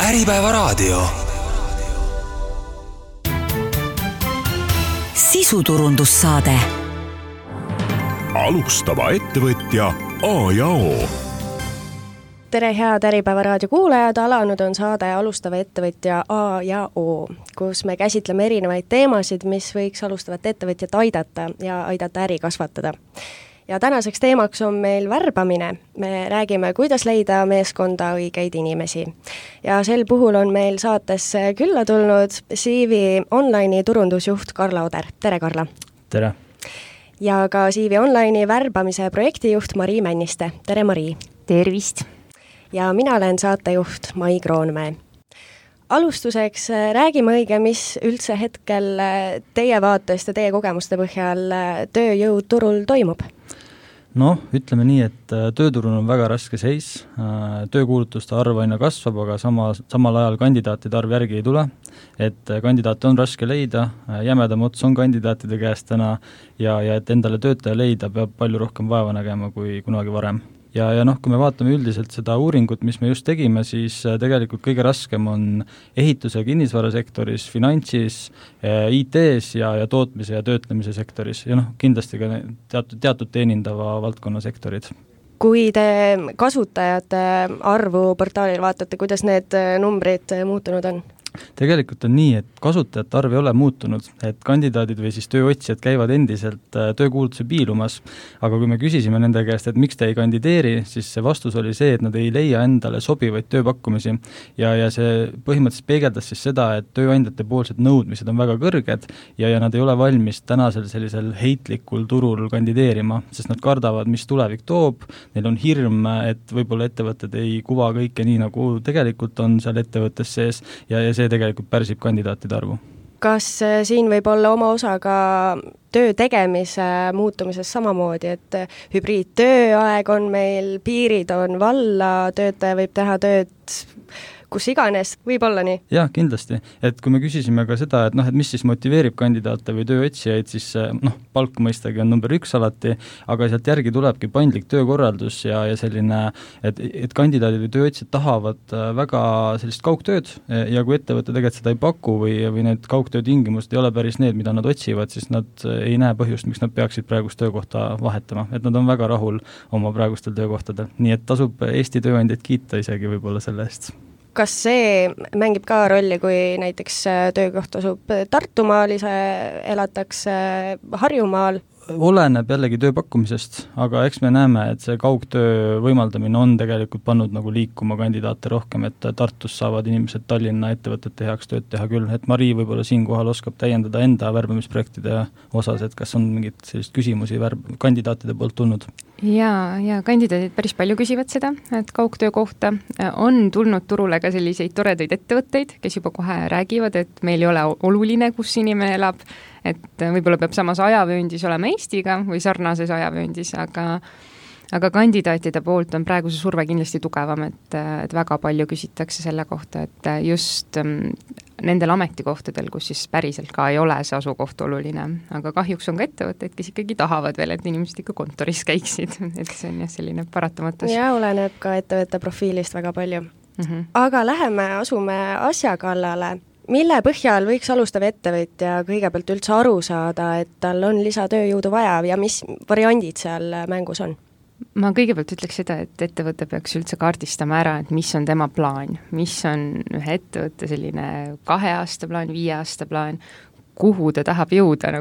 Äripäevaraadio. Sisuturundussaade. Alustava ettevõtja A ja O. Tere head Äripäevaraadio kuulajad, alanud on saade Alustava ettevõtja A ja O, kus me käsitleme erinevaid teemasid, mis võiks alustavat ettevõtjat aidata ja aidata äri kasvatada. Ja tänaseks teemaks on meil värbamine. Me räägime, kuidas leida meeskonda õigeid inimesi. Ja sel puhul on meil saatesse külla tulnud CV Online'i turundusjuht Karla Oder. Tere, Karla! Tere! Ja ka CV Online'i värbamise projektijuht Mari Männiste. Tere, Mari! Tervist! Ja mina olen saatejuht Mai Kroonmäe. Alustuseks räägime õige, mis üldse hetkel teie vaatest ja teie kogemuste põhjal tööjõuturul toimub. Ütleme nii, et tööturul on väga raske seis, töökuulutuste arv aina kasvab, aga samal ajal kandidaatide arv järgi ei tule, et kandidaate on raske leida, jämedam ots on kandidaatide käest täna ja et endale töötaja leida peab palju rohkem vaeva nägema kui kunagi varem. Ja kui me vaatame üldiselt seda uuringut, mis me just tegime, siis tegelikult kõige raskem on ehituse ja kinnisvarasektoris, finantsis, IT-s ja tootmise ja töötlemise sektoris ja kindlasti ka teatud teenindava valdkonna sektorid. Kui te kasutajate arvu portaalil vaatate, kuidas need numbrid muutunud on? Tegelikult on nii, et kasutajate arv ei ole muutunud, et kandidaadid või siis tööotsijad käivad endiselt töökuulutuse piilumas, aga kui me küsisime nende käest, et miks te ei kandideeri, siis see vastus oli see, et nad ei leia endale sobivaid tööpakkumisi ja see põhimõtteliselt peegeldas siis seda, et tööandjate poolsed nõudmised on väga kõrged ja nad ei ole valmis tänasel sellisel heitlikul turul kandideerima, sest nad kardavad, mis tulevik toob, neil on hirm, et võib-olla ettevõtted ei kuva kõike nii, nagu tegelikult on seal ettevõttes sees ja see tegelikult pärsib kandidaatide arvu. Kas siin võib olla oma osa ka töö tegemise muutumises samamoodi, et hübriidtööaeg on meil, piirid on valla, töötaja võib teha tööd kus iganes, võib olla nii? Jah, kindlasti. Et kui me küsisime ka seda, et mis siis motiveerib kandidaate või tööotsijaid, siis palk mõistagi on number 1 alati, aga sealt järgi tulebki paindlik töökorraldus ja selline, et kandidaadid või tööotsijad tahavad väga sellist kaugtööd ja kui ettevõte tegelikult seda ei paku või need kaugtöö tingimused ei ole päris need, mida nad otsivad, siis nad ei näe põhjust, miks nad peaksid praegust töökohta vahetama. Et nad on väga rahul oma praegustel töökohtadel. Nii et tasub Eesti tööandjaid kiita isegi võib-olla selle eest. Kas see mängib ka rolli, kui näiteks töökoht asub Tartumaal, ise elatakse Harjumaal? Oleneb jällegi tööpakkumisest, aga eks me näeme, et see kaugtöö võimaldamine on tegelikult pannud nagu liikuma kandidaate rohkem, et Tartus saavad inimesed Tallinna ettevõtete heaks tööd teha küll, et Mari võib-olla siinkohal oskab täiendada enda värbamisprojektide osas, et kas on mingid sellist küsimusi kandidaatide poolt tulnud? Ja kandidaadid päris palju küsivad seda, et kaugtöö kohta on tulnud turule ka selliseid toredaid ettevõtteid, kes juba kohe räägivad, et meil ei ole oluline, kus inimene elab, et võib-olla peab samas ajavööndis olema Eestiga või sarnases ajavööndis, aga kandidaatide poolt on praegu see surve kindlasti tugevam, et väga palju küsitakse selle kohta, et just nendel ametikohtadel, kus siis päriselt ka ei ole see asukoht oluline, aga kahjuks on ka ettevõtteid, kes ikkagi tahavad veel, et inimesed ikka kontoris käiksid, et see on jah selline paratamatus. Ja oleneb ka ettevõtte profiilist väga palju. Aga asume asja kallale. Mille põhjal võiks alustav ettevõtja kõigepealt üldse aru saada, et tal on lisatööjõudu vaja ja mis variandid seal mängus on? Ma kõigepealt ütleks seda, et ettevõte peaks üldse kaardistama ära, et mis on tema plaan, mis on ühe ettevõtte selline 2 aasta plaan, 5 aasta plaan, kuhu ta tahab jõuda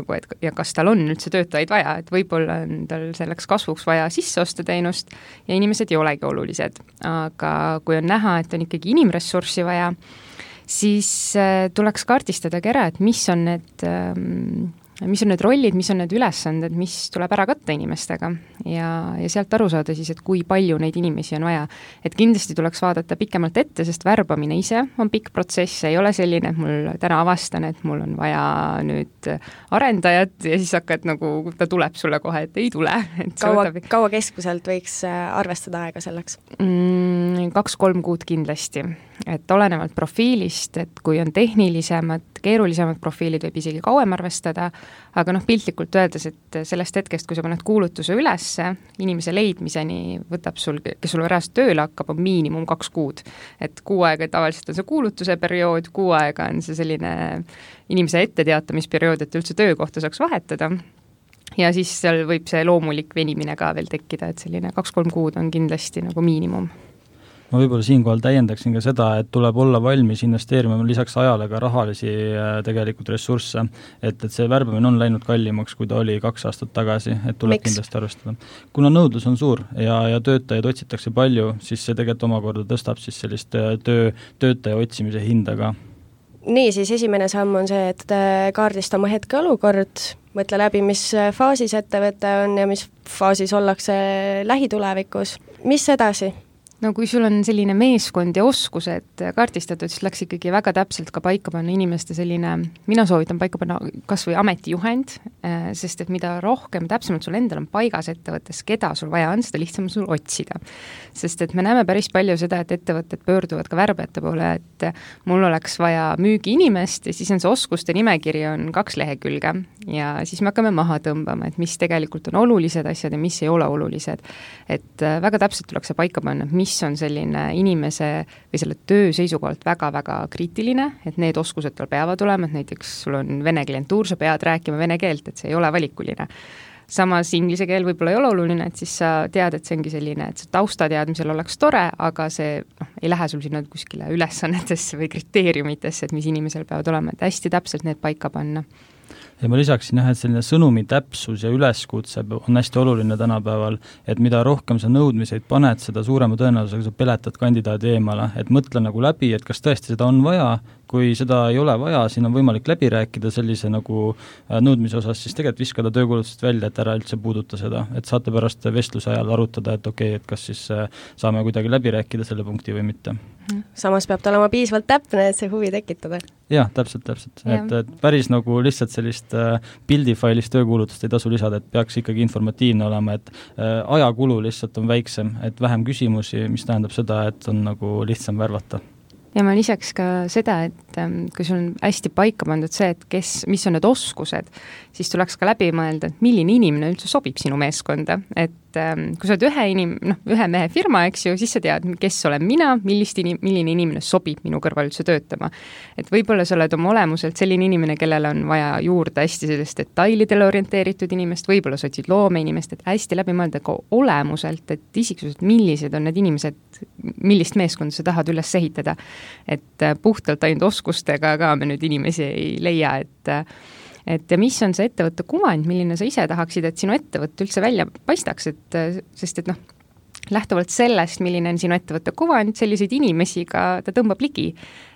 ja kas tal on üldse töötajaid vaja, et võib-olla on tal selleks kasvuks vaja sisse osta teenust ja inimesed ei olegi olulised. Aga kui on näha, et on ikkagi inimressurssi vaja, siis tuleks kaardistadagi ära, et mis on need rollid, mis on need ülesanded, mis tuleb ära katta inimestega ja sealt aru saada siis, et kui palju neid inimesi on vaja. Et kindlasti tuleks vaadata pikemalt ette, sest värbamine ise on pikk protsess, ei ole selline, et mul täna avastan, et mul on vaja nüüd arendajat ja siis hakkad ta tuleb sulle kohe, et ei tule. Kaua keskmiselt võiks arvestada aega selleks? selline 2-3 kuud kindlasti, et olenevalt profiilist, et kui on tehnilisemad, keerulisemad profiilid, võib isegi kauem arvestada, aga piltlikult öeldes, et sellest hetkest, kui sa paned kuulutuse ülesse, inimese leidmiseni võtab sul, kes sul reaalselt tööle hakkab, on miinimum 2 kuud. Et 6 aega tavaliselt on see kuulutuse periood, 6 aega on see selline inimese etteteatamisperiood, et üldse töökohta saaks vahetada. Ja siis seal võib see loomulik venimine ka veel tekkida, et selline 2-3 kuud on kindlasti nagu miinimum. Ma võib-olla siinkohal täiendaksin ka seda, et tuleb olla valmis investeerima lisaks ajale ka rahalisi tegelikult ressursse, et see värbamine on läinud kallimaks, kui ta oli 2 aastat tagasi, et tuleb kindlasti arvestada. Kuna nõudlus on suur ja töötajaid otsitakse palju, siis see tegelikult omakorda tõstab siis sellist töötaja otsimise hinda ka. Nii, siis esimene samm on see, et kaardista oma hetkeolukord, mõtle läbi, mis faasis ettevõte on ja mis faasis ollakse lähitulevikus. Mis edasi? No kui sul on selline meeskond ja oskused kaardistatud, siis läks ikkagi väga täpselt ka paika panna inimeste selline, mina soovitan paika panna kas või ametijuhend, sest et mida rohkem täpsemalt sul endal on paigas ettevõttes, keda sul vaja on, seda lihtsam sul otsida. Sest et me näeme päris palju seda, et ettevõtted pöörduvad ka värbajate poole, et mul oleks vaja müügiinimest ja siis on see oskuste nimekiri on 2 lehekülge ja siis me hakkame maha tõmbama, et mis tegelikult on olulised asjad ja mis ei ole olulised. Et väga täpselt tuleks see paika panna, mis on selline inimese või selle töö seisukohalt väga-väga kriitiline, et need oskused tal peavad olema, et näiteks sul on vene klientuur, sa pead rääkima vene keelt, et see ei ole valikuline. Samas inglise keel võib-olla ei ole oluline, et siis sa tead, et see ongi selline, et see taustateadmisel oleks tore, aga see ei lähe sul sinna kuskile ülesannetesse või kriteeriumitesse, et mis inimesel peavad olema, et hästi täpselt need paika panna. Ja ma lisaksin et selline sõnumi täpsus ja üleskutse on hästi oluline tänapäeval, et mida rohkem sa nõudmiseid paned, seda suurema tõenäosusega sa peletad kandidaadi eemale, et mõtle nagu läbi, et kas tõesti seda on vaja, kui seda ei ole vaja, siin on võimalik läbi rääkida sellise nagu nõudmise osas, siis tegelikult viskada töökuulutusest välja, et ära üldse puuduta seda, et saate pärast vestluse ajal arutada, et okei, et kas siis saame kuidagi läbi rääkida selle punkti või mitte. Samas peab ta olema piisavalt täpne, et see huvi tekitada. Jah, täpselt. Et päris nagu lihtsalt sellist pildifailist töökuulutust ei tasu lisada, et peaks ikkagi informatiivne olema, et ajakulu lihtsalt on väiksem, et vähem küsimusi, mis tähendab seda, et on nagu lihtsam värvata. Ja ma lisaks ka seda, et kui sul on hästi paika pandud see, et mis on need oskused, siis tuleks ka läbi mõelda, et milline inimene üldse sobib sinu meeskonda, et kui sa oled ühe mehe firma, eks ju, siis sa tead, kes olen mina, milline inimene sobib minu kõrval üldse töötama. Et võib-olla sa oled oma olemuselt selline inimene, kellel on vaja juurde hästi sellist detailidele orienteeritud inimest, võib-olla sa otsid loome inimest, et hästi läbi mõelda ka olemuselt, et isiksuselt, millised on need inimesed, millist meeskonda sa tahad üles ehitada. Et puhtalt ainult oskustega ka me nüüd inimesi ei leia, et mis on see ettevõtte kuvand, milline sa ise tahaksid, et sinu ettevõtte üldse välja paistaks, sest lähtuvalt sellest, milline on sinu ettevõtte kuvand, selliseid inimesi ka ta tõmbab ligi.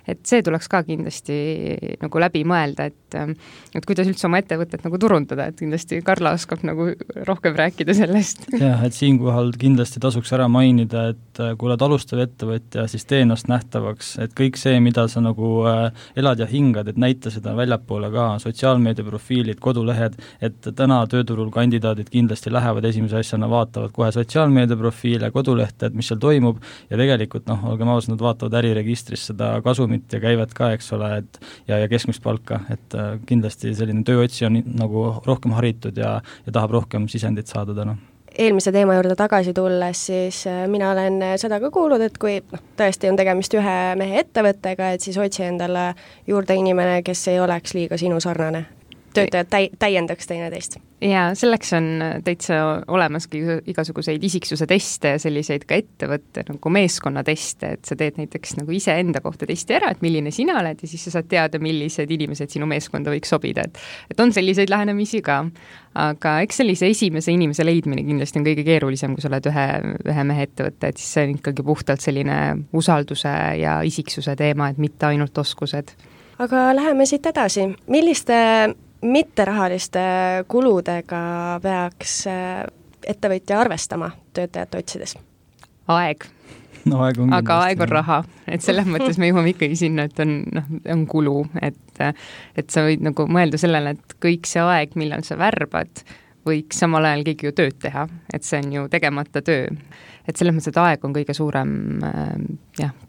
Et see tuleks ka kindlasti nagu läbi mõelda, et kuidas üldse oma ettevõtet nagu turundada, et kindlasti Karla oskab nagu rohkem rääkida sellest. Jah, et siinkohal kindlasti tasuks ära mainida, et kui oled alustav ettevõtja, siis tee ennast nähtavaks, et kõik see, mida sa nagu elad ja hingad, et näita seda väljapoole ka, sotsiaalmeedia profiilid, kodulehed, et täna tööturul kandidaadid kindlasti lähevad esimese asjana, vaatavad kohe sotsiaalmeedia profiile, kodulehte, et mis seal toimub ja tegelikult olgem ausad, nad vaatavad äriregistris seda kasumit ja käivad ka, eks ole, ja keskmist palka, et kindlasti selline tööotsi on nagu rohkem haritud ja tahab rohkem sisendit saada täna. Eelmise teema juurde tagasi tulles, siis mina olen seda ka kuulnud, et kui tõesti on tegemist ühe mehe ettevõttega, et siis otsi endale juurde inimene, kes ei oleks liiga sinu sarnane. Töötajad täiendaks teineteist. Ja selleks on täitsa olemaski igasuguseid isiksuse teste ja selliseid ka ettevõtte nagu meeskonna teste, et sa teed näiteks nagu ise enda kohta testi ära, et milline sina oled ja siis sa saad teada, millised inimesed sinu meeskonda võiks sobida, et on selliseid lähenemisi ka. Aga eks sellise esimese inimese leidmine kindlasti on kõige keerulisem, kui sa oled ühe mehe ettevõtte, et siis see on ikkagi puhtalt selline usalduse ja isiksuse teema, et mitte ainult oskused. Aga läheme siit edasi. Milliste mitterahaliste kuludega peaks ettevõtja arvestama töötajate otsides? Aeg. Aga aeg on raha, et selles mõttes me jõuame ikkagi sinna, et on kulu, et sa võid nagu mõelda sellele, et kõik see aeg, millal sa värbad, võiks samal ajal keegi ju tööd teha, et see on ju tegemata töö. Et selles mõttes, et aeg on kõige suurem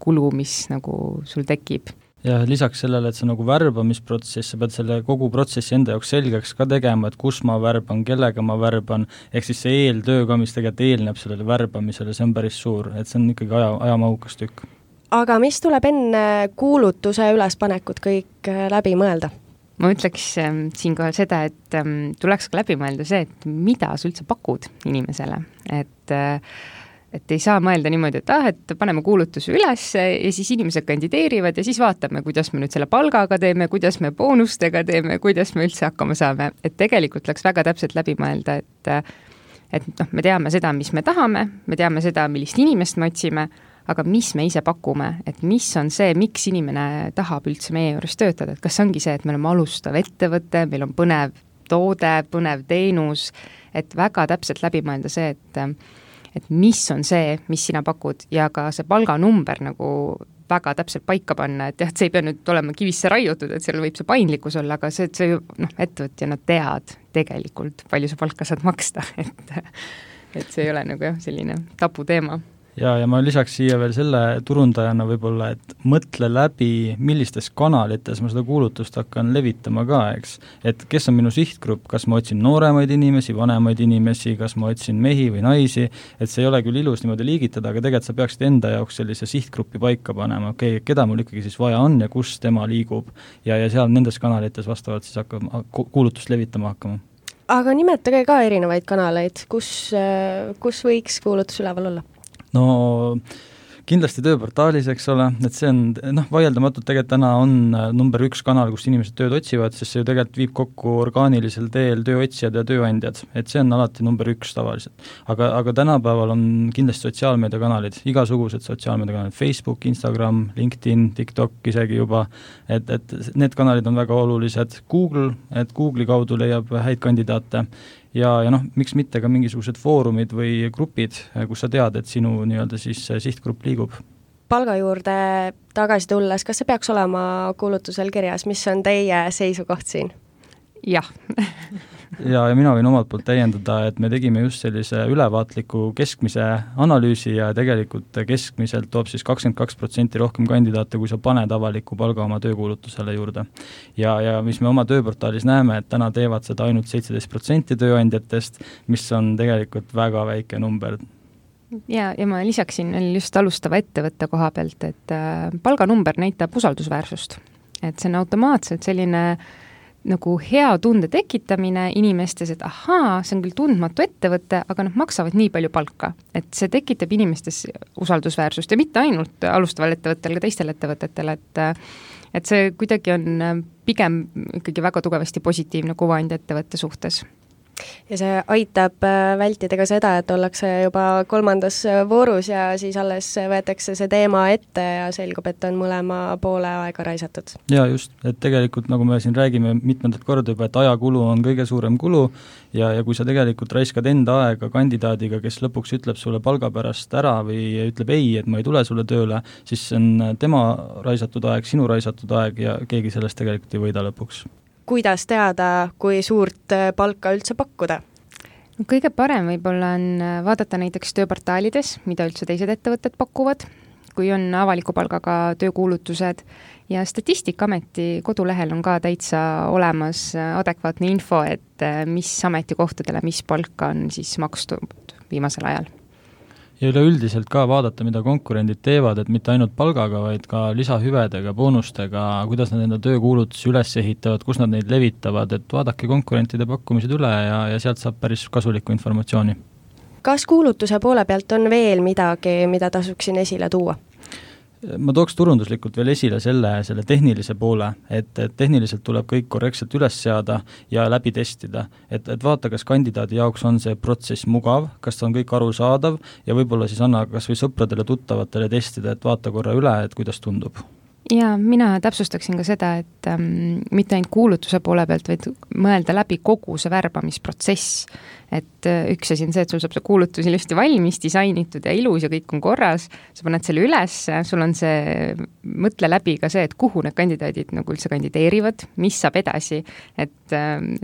kulu, mis nagu sul tekib. Ja lisaks sellele, et see nagu värbamisprotsess, sa pead selle kogu protsessi enda jaoks selgeks ka tegema, et kus ma värban, kellega ma värban, ehk siis see eeltöö ka, mis tegelikult eelneb sellele värbamisele, see on päris suur, et see on ikkagi ajamahukas tükk. Aga mis tuleb enne kuulutuse ülespanekut kõik läbi mõelda? Ma ütleks siinkohal seda, et tuleks ka läbi mõelda see, et mida sa üldse pakud inimesele, et ei saa mõelda niimoodi, et paneme kuulutuse üles ja siis inimesed kandideerivad ja siis vaatame, kuidas me nüüd selle palgaga teeme, kuidas me boonustega teeme, kuidas me üldse hakkama saame. Et tegelikult läks väga täpselt läbi mõelda, et me teame seda, mis me tahame, me teame seda, millist inimest me otsime, aga mis me ise pakume, et mis on see, miks inimene tahab üldse meie juures töötada, et kas ongi see, et me oleme alustav ettevõte, meil on põnev toode, põnev teenus, et väga täpselt läbi mõelda see, et mis on see, mis sina pakud ja ka see palganumber nagu väga täpselt paika panna, et jah, et see ei pea nüüd olema kivisse raiutud, et seal võib see paindlikkus olla, aga see ettevõtjana tead tegelikult, palju sa palka saad maksta, et see ei ole nagu jah, selline tabuteema. Ja ma lisaks siia veel selle turundajana võib-olla, et mõtle läbi, millistes kanalites ma seda kuulutust hakkan levitama ka, eks. Et kes on minu sihtgrupp, kas ma otsin nooremaid inimesi, vanemaid inimesi, kas ma otsin mehi või naisi, et see ei ole küll ilus niimoodi liigitada, aga tegelikult sa peaksid enda jaoks sellise sihtgruppi paika panema, keda mul ikkagi siis vaja on ja kus tema liigub ja seal nendes kanalites vastavalt siis hakkab kuulutust levitama hakkama. Aga nimetage ka erinevaid kanaleid, kus võiks kuulutus üleval olla? No kindlasti tööportaalis, eks ole, et see on, vaieldamatult tegelikult täna on number 1 kanal, kus inimesed tööd otsivad, sest see ju tegelikult viib kokku orgaanilisel teel tööotsijad ja tööandjad, et see on alati number 1 tavaliselt. Aga tänapäeval on kindlasti sotsiaalmeediakanalid, igasugused sotsiaalmeediakanalid, Facebook, Instagram, LinkedIn, TikTok isegi juba, et need kanalid on väga olulised, Google, et Google'i kaudu leiab häid kandidaate, ja miks mitte ka mingisugused foorumid või grupid, kus sa tead, et sinu nii-öelda siis sihtgrupp liigub. Palga juurde tagasi tulles, kas see peaks olema kuulutusel kirjas, mis on teie seisukoht siin? Jah. ja mina võin omalt poolt täiendada, et me tegime just sellise ülevaatliku keskmise analüüsi ja tegelikult keskmiselt toob siis 22% rohkem kandidaate, kui sa paned avaliku palga oma töökuulutusele juurde. Ja mis me oma tööportaalis näeme, et täna teevad seda ainult 17% tööandjatest, mis on tegelikult väga väike number. Ja ma lisaksin just alustava ettevõtte koha pealt, et palganumber näitab usaldusväärsust. Et see on automaatselt selline nagu hea tunde tekitamine inimestes, et ahaa, see on küll tundmatu ettevõte, aga maksavad nii palju palka. Et see tekitab inimestes usaldusväärsust ja mitte ainult alustaval ettevõttel, ka teistel ettevõtetel, et see kuidagi on pigem ikkagi väga tugevasti positiivne kuvand ettevõtte suhtes. Ja see aitab vältida ka seda, et ollakse juba 3. voorus ja siis alles võetakse see teema ette ja selgub, et on mõlema poole aega raisatud. Ja just, et tegelikult nagu me siin räägime mitmendat korda juba, et ajakulu on kõige suurem kulu ja kui sa tegelikult raiskad enda aega kandidaadiga, kes lõpuks ütleb sulle palga pärast ära või ütleb ei, et ma ei tule sulle tööle, siis see on tema raisatud aeg, sinu raisatud aeg ja keegi sellest tegelikult ei võida lõpuks. Kuidas teada, kui suurt palka üldse pakkuda? Kõige parem võib-olla on vaadata näiteks tööportaalides, mida üldse teised ettevõtted pakuvad, kui on avaliku palgaga töökuulutused ja Statistikaameti kodulehel on ka täitsa olemas adekvaatne info, et mis ametikohtadele, mis palka on siis makstud viimasel ajal. Ja üleüldiselt ka vaadata, mida konkurendid teevad, et mitte ainult palgaga, vaid ka lisahüvedega, boonustega, kuidas nad enda töökuulutusi üles ehitavad, kus nad neid levitavad, et vaadake konkurentide pakkumised üle ja sealt saab päris kasulikku informatsiooni. Kas kuulutuse poole pealt on veel midagi, mida tasuksin esile tuua? Ma tooks turunduslikult veel esile selle tehnilise poole, et tehniliselt tuleb kõik korrektselt üles seada ja läbi testida, et vaata, kas kandidaadi jaoks on see protsess mugav, kas on kõik arusaadav ja võib-olla siis anna kas või sõpradele, tuttavatele testida, et vaata korra üle, et kuidas tundub. Ja mina täpsustaksin ka seda, et mitte ainult kuulutuse poole pealt, vaid mõelda läbi kogu see värbamisprotsess. Et üks asi on see, et sul saab see kuulutus ilusti valmis, disainitud ja ilus ja kõik on korras, sa paned selle üles, sul on see, mõtle läbi ka see, et kuhu need kandidaadid nagu üldse kandideerivad, mis saab edasi, et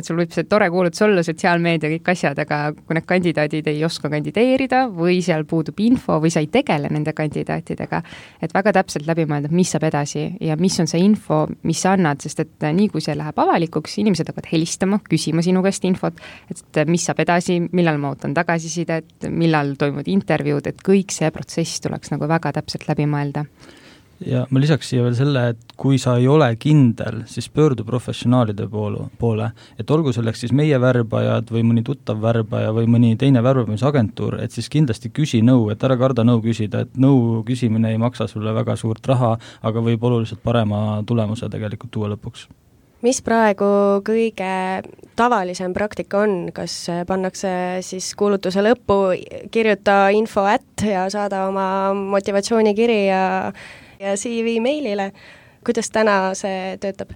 sul võib see tore kuulutus olla, sotsiaalmeedia, kõik asjad, aga kui need kandidaadid ei oska kandideerida või seal puudub info või sa ei tegele nende kandidaatidega, et väga täpselt läbi mõelda, mis saab edasi ja mis on see info, mis sa annad, sest et nii kui see läheb avalikuks, inimesed hakkavad helistama, küsima sinu käest infot, et mis saab edasi, millal ma ootan tagasisidet, millal toimuvad intervjuud, et kõik see protsess tuleks nagu väga täpselt läbi mõelda. Ja ma lisaks siia veel selle, et kui sa ei ole kindel, siis pöördu professionaalide poole, et olgu selleks siis meie värbajad või mõni tuttav värbaja või mõni teine värbamisagentuur, et siis kindlasti küsi nõu, et ära karda nõu küsida, et nõu küsimine ei maksa sulle väga suurt raha, aga võib oluliselt parema tulemuse tegelikult tuua lõpuks. Mis praegu kõige tavalisem praktika on, kas pannakse siis kuulutuse lõppu, kirjuta info ja saada oma motivatsioonikiri ja CV meilile, kuidas täna see töötab?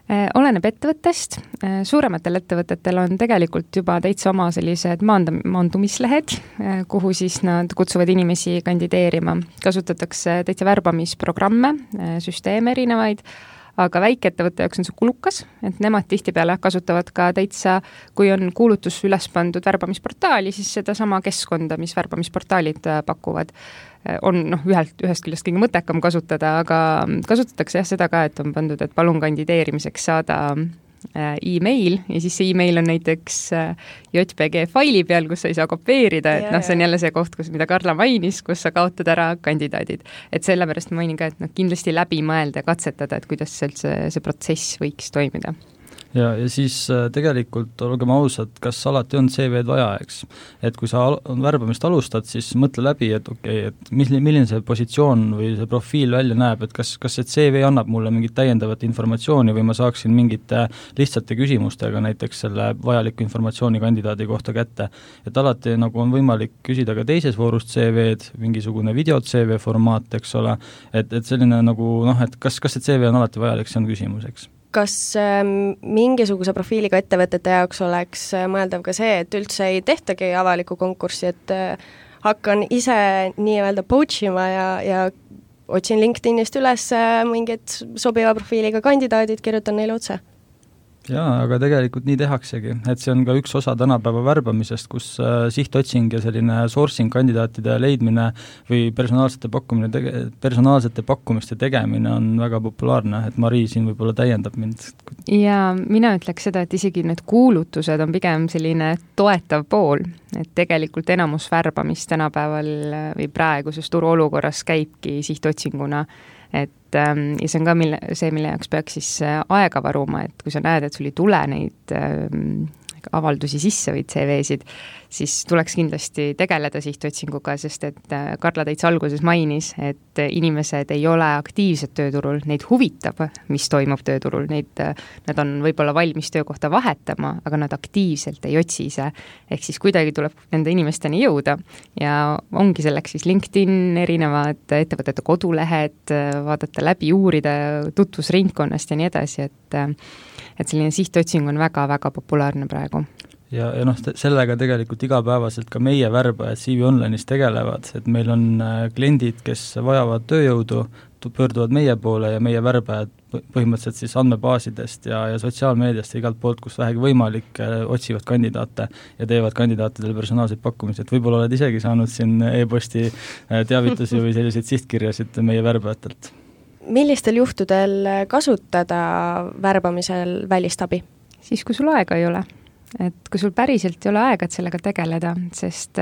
Oleneb ettevõttest, suurematel ettevõtetel on tegelikult juba täitsa oma sellised maandumislehed, kuhu siis nad kutsuvad inimesi kandideerima. Kasutatakse täitsa värbamisprogramme, süsteeme erinevaid, aga väikeettevõtte jaoks on see kulukas, et nemad tihtipeale kasutavad ka täitsa, kui on kuulutus üles pandud värbamisportaali, siis seda sama keskkonda, mis värbamisportaalid pakuvad, on ühest küljest kõige mõttekam kasutada, aga kasutatakse seda ka, et on pandud, et palun kandideerimiseks saada e-mail ja siis see e-mail on näiteks JPG faili peal, kus sa ei saa kopeerida, et see on jälle see koht, mida Karla mainis, kus sa kaotad ära kandidaadid. Et sellepärast ma mainin ka, et kindlasti läbi mõelda ja katsetada, et kuidas see protsess võiks toimida. Ja siis tegelikult olgem ausad, kas alati on CV-d vaja, eks? Et kui sa värbamist alustad, siis mõtle läbi, et et milline see positsioon või see profiil välja näeb, et kas see CV annab mulle mingit täiendavat informatsiooni või ma saaksin mingite lihtsate küsimustega näiteks selle vajaliku informatsiooni kandidaadi kohta kätte. Et alati nagu on võimalik küsida ka teises voorust CV-d, mingisugune video-CV formaat, eks ole, et selline nagu et kas see CV on alati vajalik, see on küsimus, eks? Kas mingisuguse profiiliga ettevõtete jaoks oleks mõeldav ka see, et üldse ei tehtagi avalikku konkurssi, et hakkan ise nii-öelda poachima ja otsin LinkedInist üles mingid sobiva profiiliga kandidaadid, kirjutan neile otse? Jaa, aga tegelikult nii tehaksegi, et see on ka üks osa tänapäeva värbamisest, kus sihtotsing ja selline sourcing kandidaatide leidmine või personaalsete pakkumiste tegemine on väga populaarne, et Mari siin võib-olla täiendab mind. Ja mina ütleks seda, et isegi need kuulutused on pigem selline toetav pool, et tegelikult enamus värbamist tänapäeval või praeguses turuolukorras käibki sihtotsinguna, et ja see on ka mille jaoks peaks siis aega varuma, et kui sa näed, et sul ei tule neid avaldusi sisse või CV-sid, siis tuleks kindlasti tegeleda sihtotsinguga, sest et Karla täitsa alguses mainis, et inimesed ei ole aktiivsed tööturul, neid huvitab, mis toimub tööturul, nad on võib-olla valmis töökohta vahetama, aga nad aktiivselt ei otsi ise. Ehk siis kuidagi tuleb nende inimesteni jõuda ja ongi selleks siis LinkedIn, erinevad ettevõtete kodulehed, vaadata läbi, uurida tutvusringkonnast ja nii edasi, et selline sihtotsing on väga-väga populaarne praegu. Ja sellega tegelikult igapäevaselt ka meie värbajad CV Online'is tegelevad, et meil on kliendid, kes vajavad tööjõudu, pöörduvad meie poole ja meie värbajad põhimõtteliselt siis andmebaasidest ja sotsiaalmeediast ja igalt poolt, kus vähegi võimalik, otsivad kandidaate ja teevad kandidaatidele personaalseid pakkumisi, et võib-olla oled isegi saanud siin e-posti teavitusi või selliseid sihtkirjasid meie värbajatelt. Millistel juhtudel kasutada värbamisel välist abi? Siis, kui sul aega ei ole. Et kui sul päriselt ei ole aega, et sellega tegeleda, sest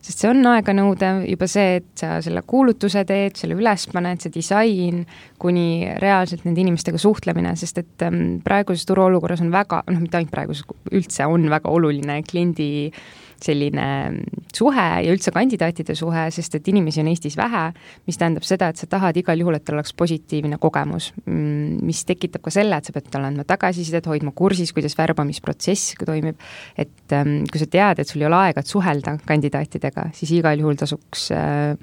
see on aeganõude juba see, et sa selle kuulutuse teed, selle üles paned, see disain, kuni reaalselt nende inimestega suhtlemine, sest et praeguses turuolukorras on väga, mitte ainult praeguses, üldse on väga oluline kliendi selline suhe ja üldse kandidaatide suhe, sest et inimesi on Eestis vähe, mis tähendab seda, et sa tahad igal juhul, et tal oleks positiivne kogemus, mis tekitab ka selle, et sa pead talle andma tagasisidet, hoidma kursis, kuidas värbamisprotsess toimib, et kui sa tead, et sul ei ole aega, et suhelda kandidaatidega, siis igal juhul tasuks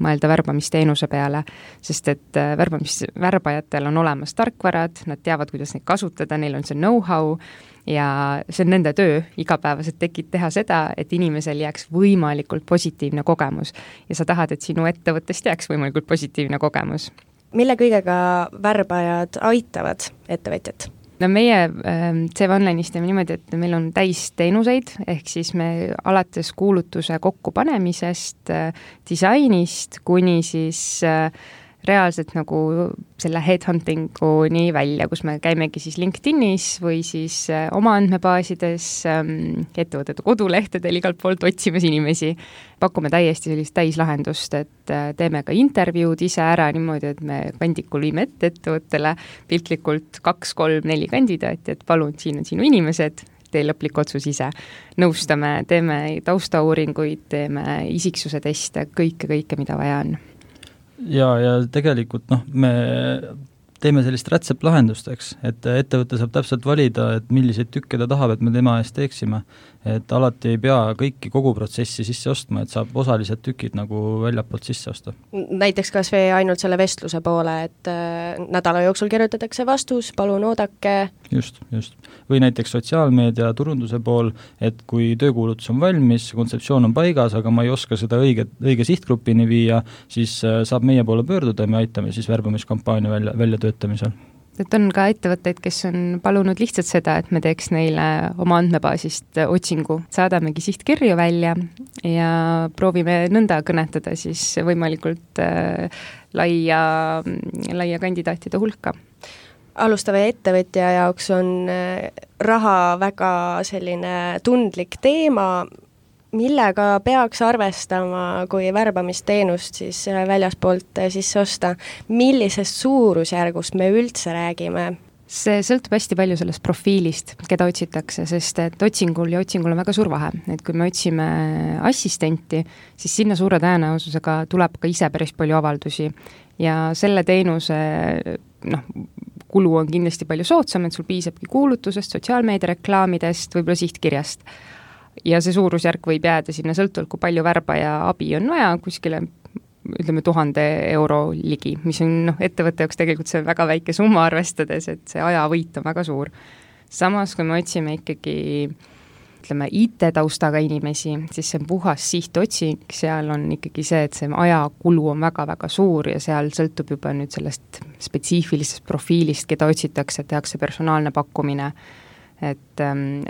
mõelda värbamisteenuse peale, sest et värbajatel on olemas tarkvarad, nad teavad, kuidas neid kasutada, neil on see know-how ja see on nende töö igapäevaselt teha seda, et inimesel jääks võimalikult positiivne kogemus ja sa tahad, et sinu ettevõttest jääks võimalikult positiivne kogemus. Mille kõigega värbajad aitavad ettevõtjat? No meie CV Online'is teeme niimoodi, et meil on täis teenuseid, ehk siis me alates kuulutuse kokkupanemisest, disainist kuni siis reaalselt nagu selle headhuntinguni välja, kus me käimegi siis LinkedInis või siis oma andmebaasides, ettevõtete kodulehtedel igalt poolt otsimas inimesi. Pakume täiesti sellist täislahendust, et teeme ka intervjuud ise ära niimoodi, et me kandikul viime ettevõttele piltlikult 2, 3, 4 kandidaati, et palun, siin on sinu inimesed, tee lõplik otsus ise. Nõustame, teeme taustauuringuid, teeme isiksuse teste, kõike, mida vaja on. Ja tegelikult me teeme sellist rätseplahendust, eks, et ettevõte saab täpselt valida, et milliseid tükke ta tahab, et me tema eest teeksime. Et alati ei pea kogu protsessi sisse ostma, et saab osalised tükid nagu väljapoolt sisse osta. Näiteks kas või ainult selle vestluse poole, et nädala jooksul kirjutatakse vastus, palun oodake. Just. Või näiteks sotsiaalmeedia turunduse pool, et kui töökuulutus on valmis, kontseptsioon on paigas, aga ma ei oska seda õige sihtgrupini viia, siis saab meie poole pöörduda ja me aitame siis värbamiskampaania välja töötamisel. Et on ka ettevõtteid, kes on palunud lihtsalt seda, et me teeks neile oma andmebaasist otsingu. Saadamegi sihtkirju välja ja proovime nõnda kõnetada siis võimalikult laia kandidaatide hulka. Alustava ettevõtja jaoks on raha väga selline tundlik teema, millega peaks arvestama, kui värbamisteenust siis väljaspoolt sisse osta. Millisest suurusjärgust me üldse räägime? See sõltub hästi palju sellest profiilist, keda otsitakse, sest et otsingul on väga suur vahe. Et kui me otsime assistenti, siis sinna suure tõenäosusega tuleb ka ise päris palju avaldusi ja selle teenuse kulu on kindlasti palju soodsam, et sul piisabki kuulutusest, sotsiaalmeedia reklaamidest, võib-olla sihtkirjast. Ja see suurusjärk võib jääda sinna sõltuvalt, kui palju värbaja abi on vaja, kuskile ütleme 1000 euro ligi, mis on ettevõtte jaoks tegelikult see väga väike summa arvestades, et see ajavõit on väga suur. Samas, kui me otsime ikkagi IT-taustaga inimesi, siis see on puhas sihtotsing, seal on ikkagi see, et see ajakulu on väga-väga suur ja seal sõltub juba nüüd sellest spetsiifilisest profiilist, keda otsitakse, tehakse personaalne pakkumine. Et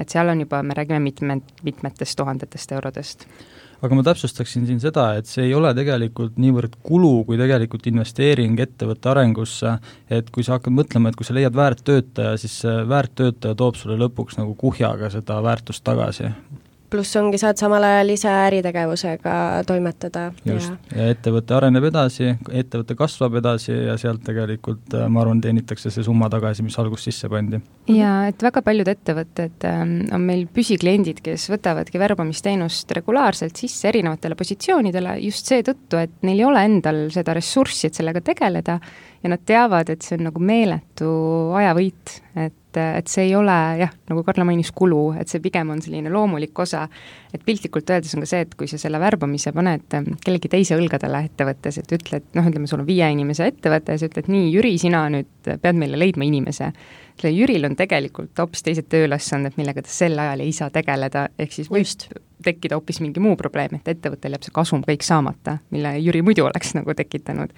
seal on juba, me räägime mitmetest tuhandetest eurodest. Aga ma täpsustaksin siin seda, et see ei ole tegelikult niivõrd kulu, kui tegelikult investeering ettevõtte arengusse, et kui sa hakkad mõtlema, et kui sa leiad väärt töötaja, siis väärt töötaja toob sulle lõpuks nagu kuhjaga seda väärtust tagasi. Pluss ongi, saad samal ajal ise äritegevusega toimetada. Just, ja ettevõte areneb edasi, ettevõte kasvab edasi ja sealt tegelikult, ma arvan, teenitakse see summa tagasi, mis algus sisse pandi. Ja et väga paljud ettevõtted on meil püsikliendid, kes võtavadki värbamisteenust regulaarselt sisse erinevatele positsioonidele just seetõttu, et neil ei ole endal seda ressurssi, et sellega tegeleda ja nad teavad, et see on nagu meeletu ajavõit, et see ei ole, nagu Karla mainis, kulu, et see pigem on selline loomulik osa, et piltlikult öeldes on ka see, et kui sa selle värbamise paned kellegi teise õlgadele ettevõttes, et ütled, ütleme, sul on 5 inimese ettevõte ja sa ütled, nii, Jüri, sina nüüd pead meile leidma inimese. Jüril on tegelikult hoopis teised tööülesanded, millega ta sel ajal ei saa tegeleda, ehk siis võib tekkida hoopis mingi muu probleem, et ettevõttel jääb see kasum kõik saamata, mille Jüri muidu oleks nagu tekitanud.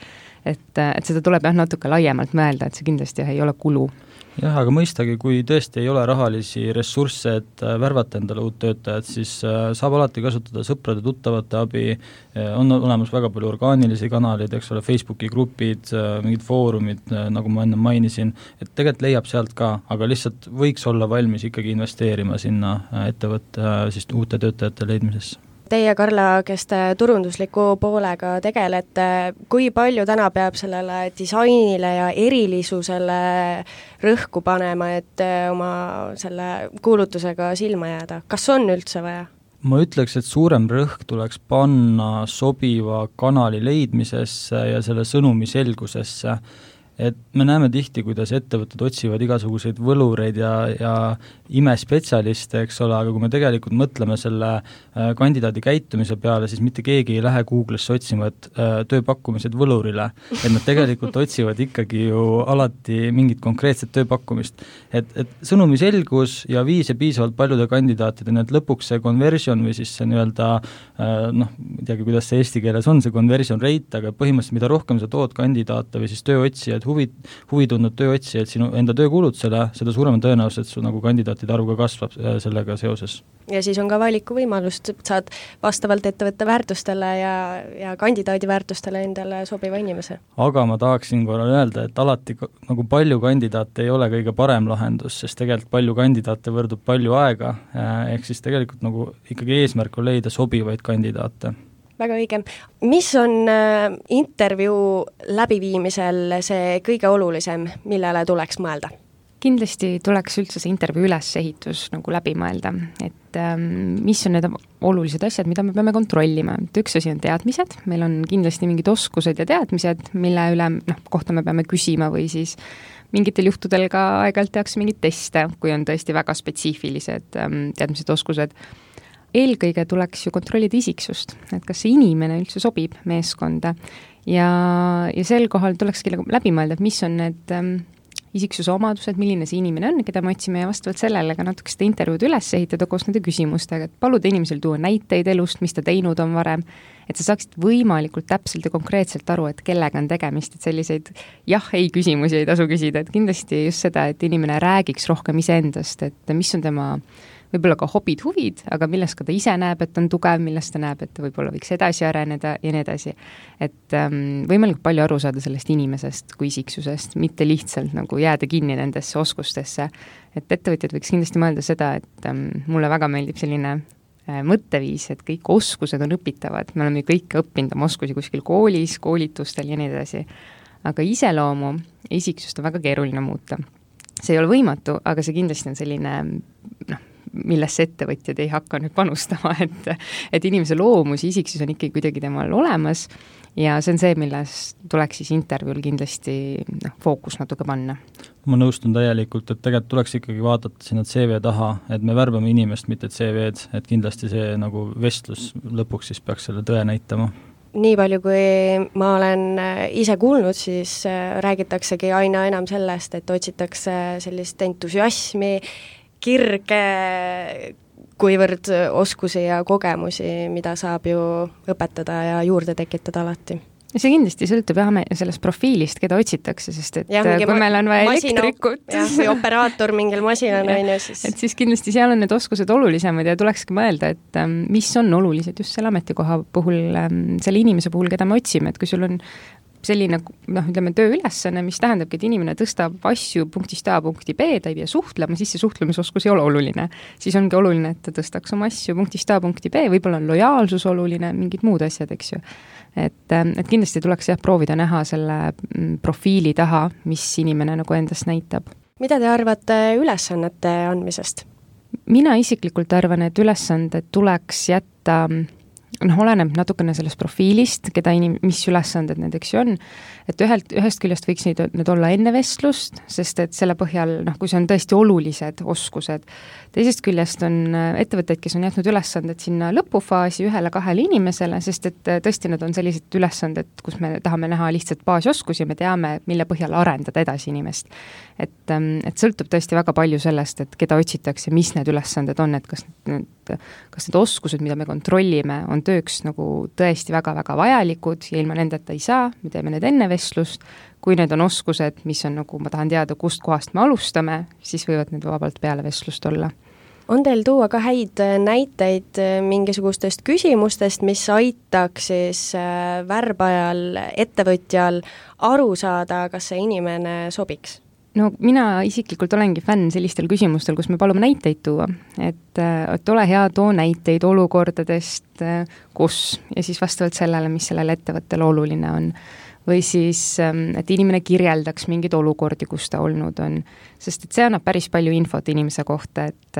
Et seda tuleb natuke laiemalt mõelda, et see kindlasti ei ole kulu. Jah, aga mõistagi, kui tõesti ei ole rahalisi ressursse, et värvata endale uut töötajat, siis saab alati kasutada sõprade, tuttavate abi, on olemas väga palju orgaanilisi kanaleid, eks ole, Facebooki grupid, mingid foorumid, nagu ma enne mainisin, et tegelikult leiab sealt ka, aga lihtsalt võiks olla valmis ikkagi investeerima sinna ettevõtte siis uute töötajate leidmisesse. Teie, Karla, kes te turundusliku poolega tegelete, kui palju täna peab sellele disainile ja erilisusele rõhku panema, et oma selle kuulutusega silma jääda? Kas on üldse vaja? Ma ütleks, et suurem rõhk tuleks panna sobiva kanali leidmisesse ja selle sõnumi selgusesse. Et me näeme tihti, kuidas ettevõtted otsivad igasuguseid võlureid ja imespetsialiste, eks ole, aga kui me tegelikult mõtleme selle kandidaadi käitumise peale, siis mitte keegi ei lähe Google'isse otsima, et tööpakkumised võlurile, et nad tegelikult otsivad ikkagi ju alati mingit konkreetset tööpakkumist. Et sõnumi selgus ja viis ja piisavalt paljude kandidaatideni, et lõpuks see conversion või siis see nii-öelda ei teagi, kuidas see eesti keeles on, see conversion rate, aga põhimõtteliselt mida rohkem sa tood kandidaate või siis tööotsijaid, huvi tundnud tööotsijaid sinu enda töökuulutusele, seda suurema tõenäoliselt su nagu kandidaatide arv ka kasvab sellega seoses. Ja siis on ka valikuvõimalust, saad vastavalt ettevõtte väärtustele ja kandidaadi väärtustele endale sobiva inimese. Aga ma tahaksin korra öelda, et alati nagu palju kandidaate ei ole kõige parem lahendus, sest tegelikult palju kandidaate võrdub palju aega, ehk siis tegelikult nagu ikkagi eesmärk on leida sobivaid kandidaate. Väga õige. Mis on intervjuu läbiviimisel see kõige olulisem, millele tuleks mõelda? Kindlasti tuleks üldse see intervjuu ülesehitus nagu läbi mõelda, et mis on need olulised asjad, mida me peame kontrollima. Et üks asi on teadmised, meil on kindlasti mingid oskused ja teadmised, mille üle kohta me peame küsima või siis mingitel juhtudel ka aeg-ajalt tehakse mingid teste, kui on tõesti väga spetsiifilised teadmised, oskused. Eelkõige tuleks ju kontrollida isiksust, et kas see inimene üldse sobib meeskonda ja sel kohal tulekski läbi mõelda, et mis on need isiksuse omadused, milline see inimene on, keda me otsime ja vastavalt sellele ka natuke seda intervjuud üles ehitada koos nende küsimustega, et paluda inimesel tuua näiteid elust, mis ta teinud on varem, et sa saaksid võimalikult täpselt ja konkreetselt aru, et kellega on tegemist, et selliseid jah-ei küsimusi ei tasu küsida, et kindlasti just seda, et inimene räägiks rohkem iseendast, et mis on tema võib-olla ka hobid, huvid, aga millest ka ta ise näeb, et on tugev, millest ta näeb, et ta võib-olla võiks edasi areneda ja nii edasi. Et võimalikult palju aru saada sellest inimesest kui isiksusest, mitte lihtsalt nagu jääda kinni nendesse oskustesse. Et ettevõtjad võiks kindlasti mõelda seda, et mulle väga meeldib selline mõtteviis, et kõik oskused on õpitavad. Me oleme ju kõik õppinud oma oskusi kuskil koolis, koolitustel ja nii edasi. Aga iseloomu ja isiksust on väga keeruline muuta. See ei ole võimatu, aga see kindlasti on selline millesse ettevõtjad ei hakka nüüd panustama, et inimese loomus ja isiksus on ikkagi kuidagi temal olemas ja see on see, milles tuleks siis intervjuul kindlasti fookus natuke panna. Ma nõustun täielikult, et tegelikult tuleks ikkagi vaadata sinna CV taha, et me värbame inimest, mitte CV-d, et kindlasti see nagu vestlus lõpuks siis peaks selle tõe näitama. Nii palju, kui ma olen ise kuulnud, siis räägitaksegi aina enam sellest, et otsitakse sellist entusiasmi, kirge, kuivõrd oskusi ja kogemusi, mida saab ju õpetada ja juurde tekitada alati. See kindlasti sõltub sellest profiilist, keda otsitakse, sest et kui meil on vaja elektrikut või operaator mingil masinal siis... Et siis kindlasti seal on need oskused olulisemad ja tulekski mõelda, et mis on olulised just selle ametikoha puhul, selle inimese puhul, keda me otsime, et kui sul on selline, ütleme, tööülesanne, mis tähendabki, et inimene tõstab asju punktist A punkti B, ta ei pea suhtlema, siis see suhtlemisoskus ei ole oluline. Siis ongi oluline, et ta tõstaks oma asju punktist A punkti B, võib-olla on lojaalsus oluline, mingid muud asjad, eks ju. Et kindlasti tuleks proovida näha selle profiili taha, mis inimene nagu endast näitab. Mida te arvate ülesannete andmisest? Mina isiklikult arvan, et ülesanded tuleks jätta oleneb natukene sellest profiilist, mis ülesanded need, eks ju on, et ühest küljest võiks need olla enne vestlust, sest et selle põhjal, kui see on tõesti olulised oskused, teisest küljest on ettevõtteid, kes on jätnud ülesanded sinna lõpufaasi 1-2 inimesele, sest et tõesti need on sellised ülesanded, kus me tahame näha lihtsalt baasoskusi ja me teame, mille põhjal arendada edasi inimest. Et sõltub tõesti väga palju sellest, et keda otsitakse, mis need ülesanded on, et kas need oskused, mida me kontrollime, on tööks nagu tõesti väga-väga vajalikud ja ilma nendeta ei saa, me teeme need enne vestlust, kui need on oskused, mis on nagu, ma tahan teada, kust kohast me alustame, siis võivad need vabalt peale vestlust olla. On teil tuua ka häid näiteid mingisugustest küsimustest, mis aitaks siis värbajal, ettevõtjal aru saada, kas see inimene sobiks? No mina isiklikult olengi fänn sellistel küsimustel, kus me palume näiteid tuua, et ole hea, too näiteid olukordadest, kus ja siis vastavalt sellele, mis sellele ettevõttele oluline on. või siis, et inimene kirjeldaks mingeid olukordi, kus ta olnud on. Sest et see annab päris palju infot inimese kohta, et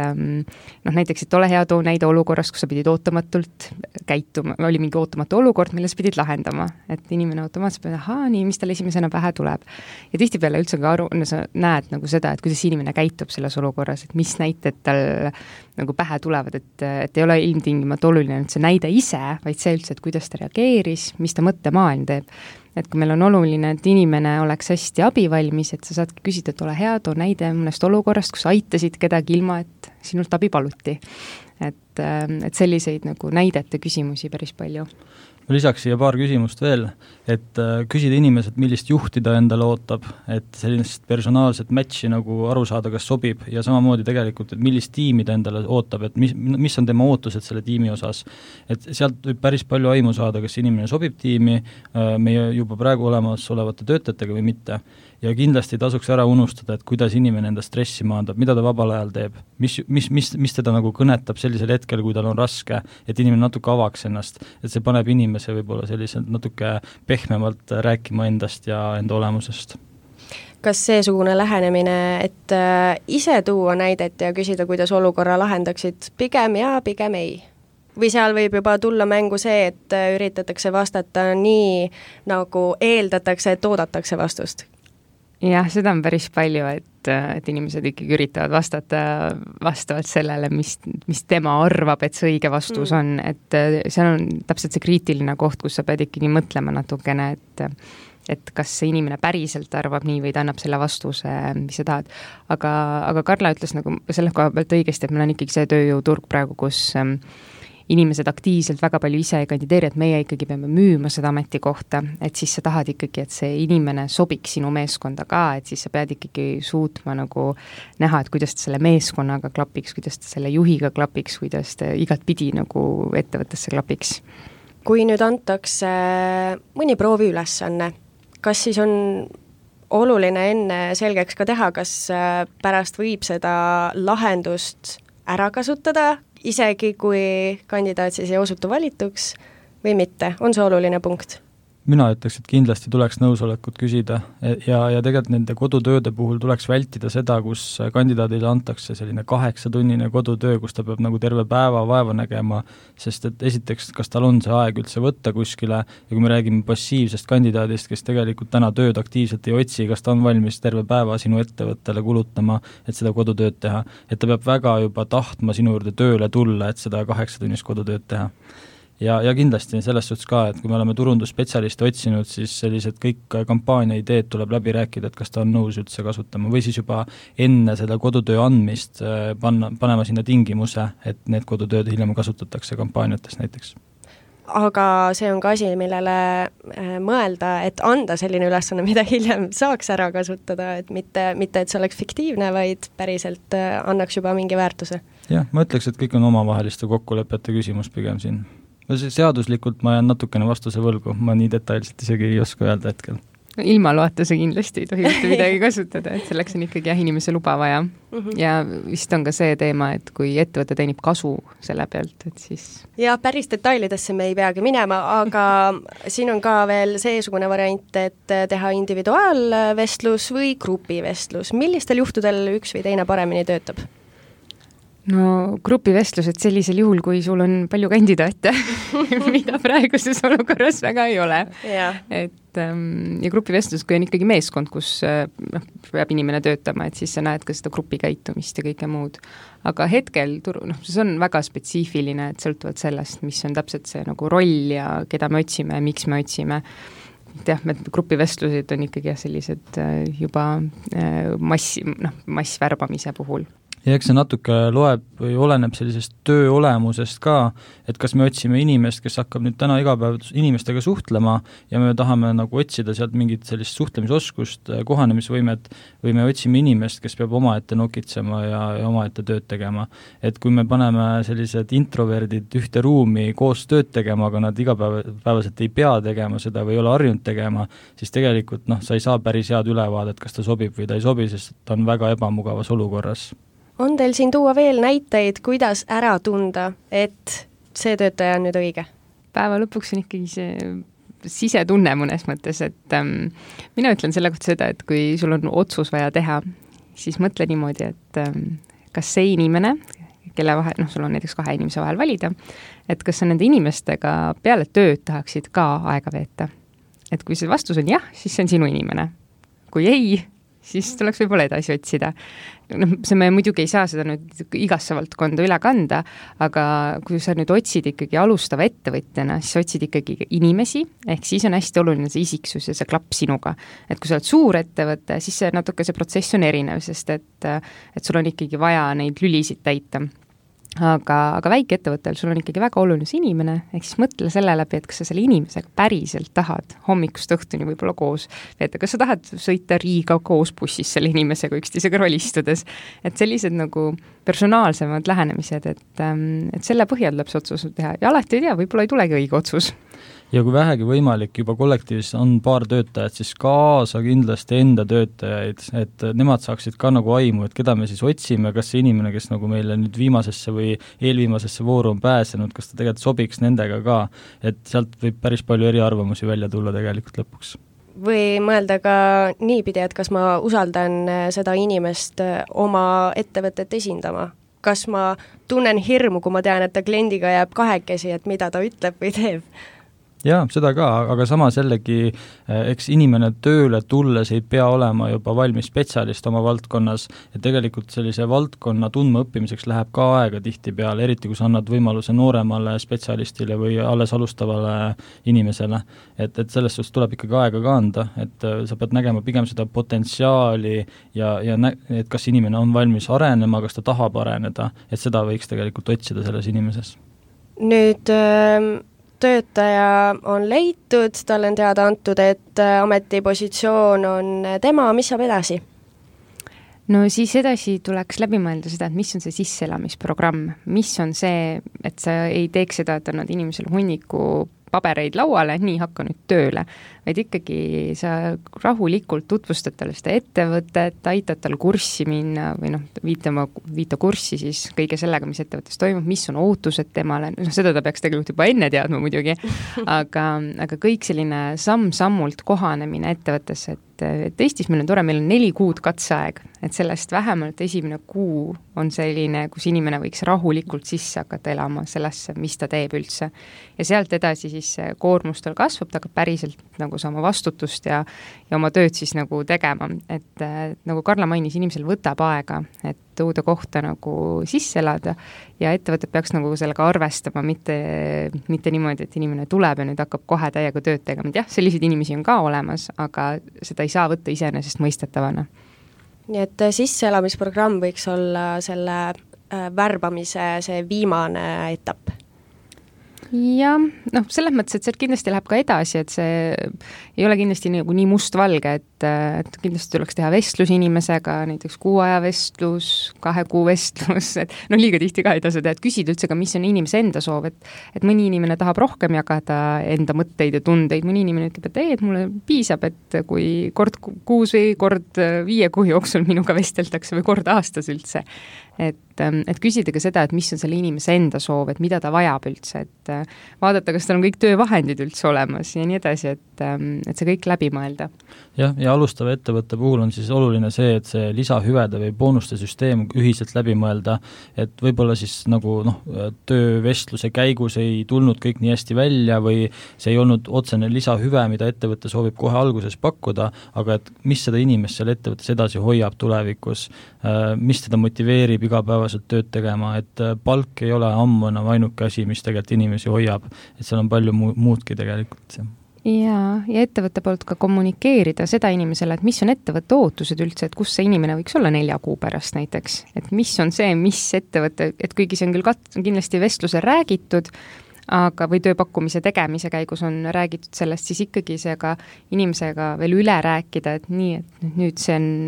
näiteks, et ole hea, too näide olukorrast, kus sa pidid ootamatult käituma, oli mingi ootamatu olukord, mille sa pidid lahendama. Et inimene automaatselt peab, nii, mis tal esimesena pähe tuleb. Ja tihtipeale üldse ka sa näed nagu seda, et kuidas inimene käitub selles olukorras, et mis näited tal nagu pähe tulevad, et ei ole ilmtingimata oluline see näide ise, vaid see üldse, et kuidas ta reageeris, mis ta mõttemaailm teeb. Et kui meil on oluline, et inimene oleks hästi abivalmis, et sa saadki küsida, et ole hea, too näide mõnest olukorrast, kus aitasid kedagi ilma, et sinult abi paluti. Et selliseid nagu näidete küsimusi päris palju. Ma lisaks siia paar küsimust veel, et küsida inimesed, millist juhti ta endale ootab, et sellist personaalset matchi nagu aru saada, kas sobib ja samamoodi tegelikult, et millist tiimi ta endale ootab, et mis on tema ootused selle tiimi osas. Et sealt võib päris palju aimu saada, kas inimene sobib tiimi meie juba praegu olemas olevate töötajatega või mitte. Ja kindlasti tasuks ära unustada, et kuidas inimene enda stressi maandab, mida ta vabal ajal teeb, mis teda nagu kõnetab sellisel hetkel, kui tal on raske, et inimene natuke avaks ennast, et see paneb inimese võib-olla selliselt natuke pehmemalt rääkima endast ja enda olemusest. Kas seesugune lähenemine, et ise tuua näidet ja küsida, kuidas olukorra lahendaksid, pigem ja pigem ei? Või seal võib juba tulla mängu see, et üritatakse vastata nii, nagu eeldatakse, et oodatakse vastust? Jah, seda on päris palju, et inimesed ikkagi üritavad vastata vastavalt sellele, mis tema arvab, et see õige vastus on, et see on täpselt see kriitiline koht, kus sa pead ikkagi mõtlema natukene, et kas see inimene päriselt arvab nii või ta annab selle vastuse, mis sa tahad. Aga Karla ütles nagu selle koha pealt õigesti, et meil on ikkagi see tööjõuturg praegu, kus inimesed aktiivselt väga palju ise ei kandideeri, et meie ikkagi peame müüma seda ametikohta, et siis sa tahad ikkagi, et see inimene sobiks sinu meeskonda ka, et siis sa pead ikkagi suutma nagu näha, et kuidas ta selle meeskonnaga klapiks, kuidas ta selle juhiga klapiks, kuidas ta igat pidi nagu ettevõttesse klapiks. Kui nüüd antakse mõni prooviülesanne, kas siis on oluline enne selgeks ka teha, kas pärast võib seda lahendust ära kasutada, isegi kui kandidaat siis ei osutu valituks või mitte, on see oluline punkt? Mina ütleks, et kindlasti tuleks nõusolekut küsida ja tegelikult nende kodutööde puhul tuleks vältida seda, kus kandidaadile antakse selline 8-tunnine kodutöö, kus ta peab nagu terve päeva vaeva nägema, sest et esiteks, kas tal on see aeg üldse võtta kuskile ja kui me räägime passiivsest kandidaadist, kes tegelikult täna tööd aktiivselt ei otsi, kas ta on valmis terve päeva sinu ettevõttele kulutama, et seda kodutööd teha, et ta peab väga juba tahtma sinu juurde tööle tulla, et seda 8-tunnist kodutööd teha. Ja kindlasti selles suhtes ka, et kui me oleme turundusspetsialisti otsinud, siis sellised kõik kampaania ideed tuleb läbi rääkida, et kas ta on nõus üldse kasutama või siis juba enne seda kodutöö andmist panema sinna tingimuse, et need kodutööd hiljem kasutatakse kampaaniates näiteks. Aga see on ka asi, millele mõelda, et anda selline ülesanne, mida hiljem saaks ära kasutada, et mitte, et see oleks fiktiivne, vaid päriselt annaks juba mingi väärtuse. Jah, ma ütleks, et kõik on omavaheliste kokkulepete küsimus pigem siin. Seaduslikult ma jään natukene vastuse võlgu, ma nii detailselt isegi ei oska öelda hetkel. Ilma loata see kindlasti ei tohi mitte midagi kasutada, et selleks on ikkagi inimese luba vaja. Ja vist on ka see teema, et kui ettevõte teenib kasu selle pealt, et siis... Ja päris detailidesse me ei peagi minema, aga siin on ka veel seesugune variant, et teha individuaalvestlus või grupivestlus. Millistel juhtudel üks või teine paremini töötab? No grupivestlused sellisel juhul, kui sul on palju kandidaate, mida praeguses olukorras väga ei ole. Et, ja grupivestlus, kui on ikkagi meeskond, kus peab inimene töötama, et siis sa näed ka seda grupi käitumist ja kõike muud. Aga hetkel, see on väga spetsiifiline, et sõltuvalt sellest, mis on täpselt see nagu roll ja keda me otsime ja miks me otsime. Grupivestlused on ikkagi sellised juba massvärbamise puhul. Ja eks see natuke loeb või oleneb sellisest töö olemusest ka, et kas me otsime inimest, kes hakkab nüüd täna igapäev inimestega suhtlema ja me tahame nagu otsida sealt mingit sellist suhtlemisoskust, kohanemisvõimet või me otsime inimest, kes peab omaette nokitsema ja omaette tööd tegema. Et kui me paneme sellised introverdid ühte ruumi koos tööd tegema, aga nad igapäevaselt ei pea tegema seda või ei ole harjunud tegema, siis tegelikult sa ei saa päris head ülevaadet, kas ta sobib või ta ei sobi, sest ta on väga ebamugavas olukorras. On teil siin tuua veel näiteid, kuidas ära tunda, et see töötaja on nüüd õige? Päeva lõpuks on ikkagi see sisetunne mõnes mõttes, et mina ütlen selle kohta seda, et kui sul on otsus vaja teha, siis mõtle niimoodi, et kas see inimene, kelle vahel, sul on näiteks 2 inimese vahel valida, et kas sa nende inimestega peale tööd tahaksid ka aega veeta. Et kui see vastus on jah, siis see on sinu inimene. Kui ei, siis tuleks võib-olla edasi otsida. See me muidugi ei saa seda nüüd igasse valdkonda üle kanda, aga kui sa nüüd otsid ikkagi alustava ettevõtjana, siis otsid ikkagi inimesi, ehk siis on hästi oluline see isiksus ja see klapp sinuga. Et kui sa oled suur ettevõte, siis see natuke see protsess on erinev, sest et sul on ikkagi vaja neid lülisid täita. Aga väikeettevõttel sul on ikkagi väga oluline see inimene, ehk siis mõtle selle läbi, et kas sa selle inimesega päriselt tahad hommikust õhtuni võib-olla koos veeta, kas sa tahad sõita Riiga koos bussis selle inimesega üksteise kõrval istudes, et sellised nagu personaalsemad lähenemised, et selle põhjal tuleb see otsus teha ja alati ei tea, võib-olla ei tulegi õige otsus. Ja kui vähegi võimalik, juba kollektiivis on paar töötajat, siis kaasa kindlasti enda töötajaid, et nemad saaksid ka nagu aimu, et keda me siis otsime, kas see inimene, kes nagu meile nüüd viimasesse või eelviimasesse vooru on pääsenud, kas ta tegelikult sobiks nendega ka, et sealt võib päris palju eriarvamusi välja tulla tegelikult lõpuks. Või mõelda ka niipidi, et kas ma usaldan seda inimest oma ettevõtet esindama. Kas ma tunnen hirmu, kui ma tean, et ta kliendiga jääb kahekesi, et mida ta ütleb või teeb? Jaa, seda ka, aga samas jällegi, eks inimene tööle tulles ei pea olema juba valmis spetsialist oma valdkonnas, ja tegelikult sellise valdkonna tundma õppimiseks läheb ka aega tihtipeale, eriti kui sa annad võimaluse nooremale spetsialistile või alles alustavale inimesele. Et sellest suhtes tuleb ikkagi aega ka anda, et sa pead nägema pigem seda potentsiaali ja et kas inimene on valmis arenema, kas ta tahab areneda, et seda võiks tegelikult otsida selles inimeses. Nüüd töötaja on leitud, tal on teada antud, et ametipositsioon on tema, mis saab edasi? No siis edasi tuleks läbi mõelda seda, et mis on see sisseelamisprogramm, mis on see, et sa ei teeks seda, et annad inimesele hunniku pabereid lauale, nii hakka nüüd tööle, vaid ikkagi sa rahulikult tutvustad talle seda ettevõtet, aitad tal kurssi minna või viita kurssi siis kõige sellega, mis ettevõttes toimub, mis on ootused temale, seda ta peaks tegelikult juba enne teadma muidugi, aga kõik selline samm-sammult kohanemine ettevõttes, et Eestis meil on tore, meil on 4 kuud katseaeg, et sellest vähemalt esimene kuu on selline, kus inimene võiks rahulikult sisse hakata elama sellesse, mis ta teeb üldse. Ja sealt edasi siis koormus tal kasvab, ta hakkab päriselt nagu saama vastutust ja oma tööd siis nagu tegema. Et nagu Karla mainis, inimesel võtab aega, et uude kohta nagu sisse elada ja ettevõtted peaks nagu sellega arvestama, mitte niimoodi, et inimene tuleb ja nüüd hakkab kohe täiega tööd tegema. Jah, selliseid inimesi on ka olemas, aga seda ei saa võtta iseenesest mõistetavana. Nii et sisseelamisprogramm võiks olla selle värbamise see viimane etapp? Ja selles mõttes, et sealt kindlasti läheb ka edasi, et see ei ole kindlasti nii mustvalge, et kindlasti tuleks teha vestlus inimesega, näiteks 6 aja vestlus, 2 kuu vestlus, et liiga tihti ka ei tasu teha, et küsida üldse ka, mis on inimese enda soov, et mõni inimene tahab rohkem jagada enda mõtteid ja tundeid, mõni inimene ütleb, et mulle piisab, et kui kord kuus või kord 5 kuu jooksul minuga vesteldakse või kord aastas üldse. Et küsida ka seda, et mis on selle inimese enda soov, et mida ta vajab üldse, et vaadata, kas tal on kõik töövahendid üldse olemas ja nii edasi, et see kõik läbi mõelda. Ja alustava ettevõtte puhul on siis oluline see, et see lisahüvede või boonuste süsteem ühiselt läbi mõelda, et võib-olla siis nagu töövestluse käigus ei tulnud kõik nii hästi välja või see ei olnud otsene lisahüve, mida ettevõte soovib kohe alguses pakkuda, aga et mis seda inimest seal ettevõttes edasi hoiab tulevikus, mis teda motiveerib igapäevaselt tööd tegema, et palk ei ole ammu enam ainuke asi, mis tegelikult inimesi hoiab, et seal on palju muudki tegelikult. Ja ettevõtte poolt ka kommunikeerida seda inimesele, et mis on ettevõtte ootused üldse, et kus see inimene võiks olla 4 kuu pärast näiteks, et mis on see, mis ettevõtte, et kuigi see on küll kindlasti vestluse räägitud, aga või tööpakkumise tegemise käigus on räägitud sellest, siis ikkagi see ka inimesega veel üle rääkida, et nii, et nüüd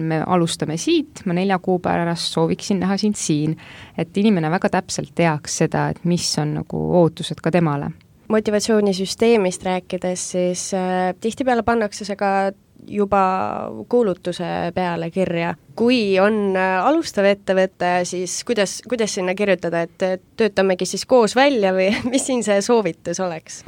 me alustame siit, ma 4 kuu pärast sooviksin näha sind siin, et inimene väga täpselt teaks seda, et mis on nagu ootused ka temale. Motivatsioonisüsteemist rääkides, siis tihtipeale pannakse see ka juba kuulutuse peale kirja. Kui on alustav ettevõte, siis kuidas sinna kirjutada, et töötamegi siis koos välja või mis siin see soovitus oleks?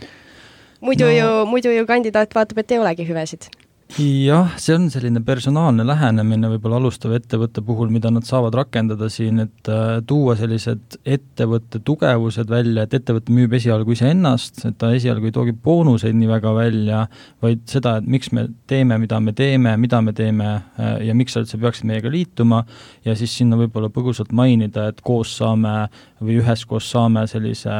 muidu ju kandidaat vaatab, et ei olegi hüvesid. Jah, see on selline personaalne lähenemine võib-olla alustava ettevõtte puhul, mida nad saavad rakendada siin, et tuua sellised ettevõtte tugevused välja, et ettevõte müüb esialgu iseennast, et ta esialgu ei toogi boonuseid nii väga välja, vaid seda, et miks me teeme, mida me teeme ja miks sa üldse peaksid meiega liituma ja siis sinna võib-olla põgusalt mainida, et koos saame või üheskoos saame sellise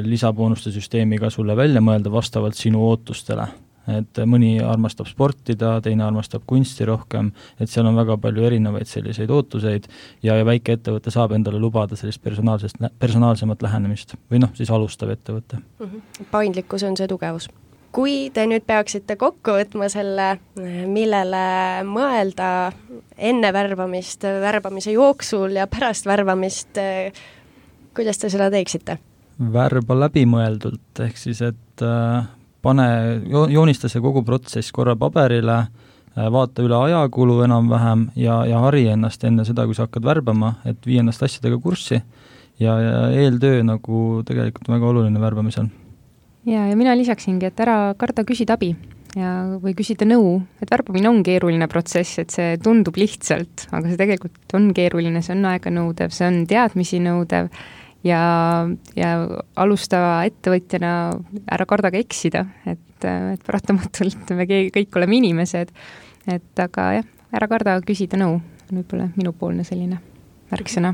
lisaboonuste süsteemiga sulle välja mõelda vastavalt sinu ootustele. Et mõni armastab sportida, teine armastab kunsti rohkem, et seal on väga palju erinevaid selliseid ootuseid ja väike ettevõte saab endale lubada sellist personaalsemat lähenemist või siis alustav ettevõte. Paindlikkus on see tugevus. Kui te nüüd peaksite kokku võtma selle, millele mõelda enne värbamist, värbamise jooksul ja pärast värbamist, kuidas te seda teeksite? Värba läbimõeldult, ehk siis, et joonista see kogu protsess korra paberile, vaata üle ajakulu enam-vähem ja hari ennast enne seda, kui sa hakkad värbama, et vii ennast asjadega kurssi ja eeltöö nagu tegelikult väga oluline värbamisel. Ja mina lisaksingi, et ära karda küsida abi või küsida nõu, et värbamine on keeruline protsess, et see tundub lihtsalt, aga see tegelikult on keeruline, see on aega nõudev, see on teadmisi nõudev ja alustava ettevõtjana ära kardaga eksida, et paratamatult me kõik oleme inimesed, et aga jah, ära karda küsida nõu, võib-olla minupoolne selline märksõna.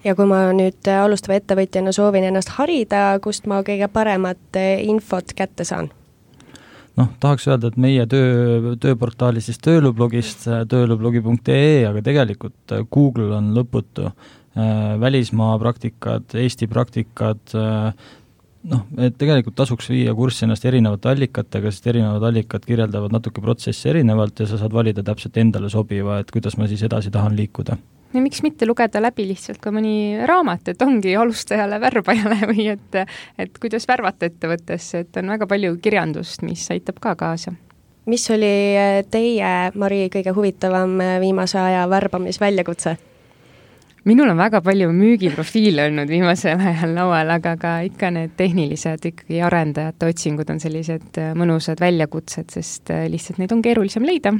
Ja kui ma nüüd alustava ettevõtjana soovin ennast harida, kust ma kõige paremat infot kätte saan? Tahaks öelda, et meie tööportaali siis töölublogist, töölublogi.ee, aga tegelikult Google on lõputu. Välismaa praktikad, Eesti praktikad, et tegelikult tasuks viia kurssi ennast erinevate allikatega, sest erinevad allikad kirjeldavad natuke protsessi erinevalt ja sa saad valida täpselt endale sobiva, et kuidas ma siis edasi tahan liikuda. Ja miks mitte lugeda läbi lihtsalt ka mõni raamat, et ongi alustajale, värbajale või et kuidas värvata ettevõttesse, et on väga palju kirjandust, mis aitab ka kaasa. Mis oli teie, Mari, kõige huvitavam viimase aja värbamisväljakutse? Minul on väga palju müügiprofiile olnud viimasel ajal laual, aga ka ikka need tehnilised ikkagi arendajate otsingud on sellised mõnusad väljakutsed, sest lihtsalt neid on keerulisem leida.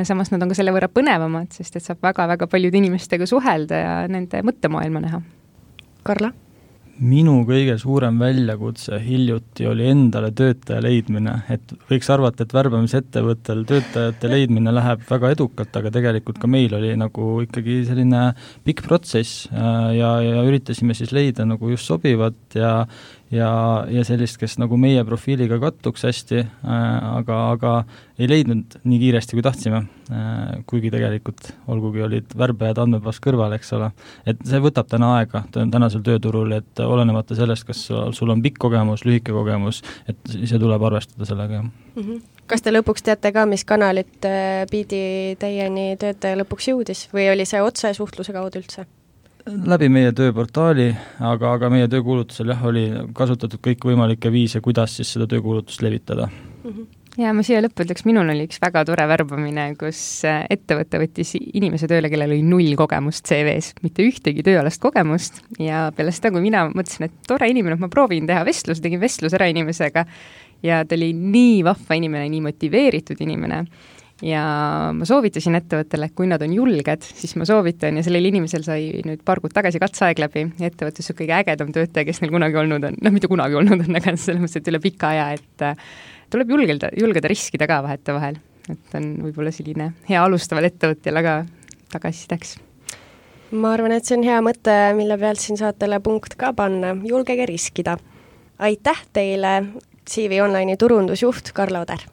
Samas nad on ka selle võrra põnevamad, sest et saab väga-väga paljude inimestega suhelda ja nende mõttemaailma näha. Karla? Minu kõige suurem väljakutse hiljuti oli endale töötaja leidmine, et võiks arvata, et värbamisettevõttel töötajate leidmine läheb väga edukalt, aga tegelikult ka meil oli nagu ikkagi selline pikk protsess ja üritasime siis leida nagu just sobivat ja sellist, kes nagu meie profiiliga kattuks hästi, aga ei leidnud nii kiiresti, kui tahtsime, kuigi tegelikult olgugi olid värbajad andmebaas kõrval, eks ole. Et see võtab täna aega tänasel tööturul, et olenemata sellest, kas sul on pikk kogemus, lühike kogemus, et see tuleb arvestada sellega. Kas te lõpuks teate ka, mis kanalit pidi teieni töötaja lõpuks jõudis või oli see otse suhtluse kaudu üldse? Läbi meie tööportaali, aga meie töökuulutusel oli kasutatud kõik võimalikke viise, kuidas siis seda töökuulutust levitada. Ja ma siia lõppu ütleks, minul oli üks väga tore värbamine, kus ettevõte võttis inimese tööle, kellel oli 0 kogemust CV-s, mitte ühtegi tööalast kogemust ja peale seda, kui mina mõtlesin, et tore inimene, ma proovin teha vestlus, tegin vestlus ära inimesega ja ta oli nii vahva inimene, nii motiveeritud inimene ja ma soovitasin ettevõttele, et kui nad on julged, siis ma soovitan ja sellel inimesel sai nüüd paar kuud tagasi katseaeg läbi ja ettevõttes on kõige ägedam töötaja, kes neil kunagi olnud on, mitte kunagi olnud on, aga selles mõttes, et üle pika aja, et tuleb julgeda riskida ka vahetevahel, et on võib-olla selline hea alustaval ettevõtjal, aga tagasisideks. Ma arvan, et see on hea mõte, mille pealt siin saatele punkt ka panna, julgege riskida. Aitäh teile, CV Online'i turundusjuht Karla Oder.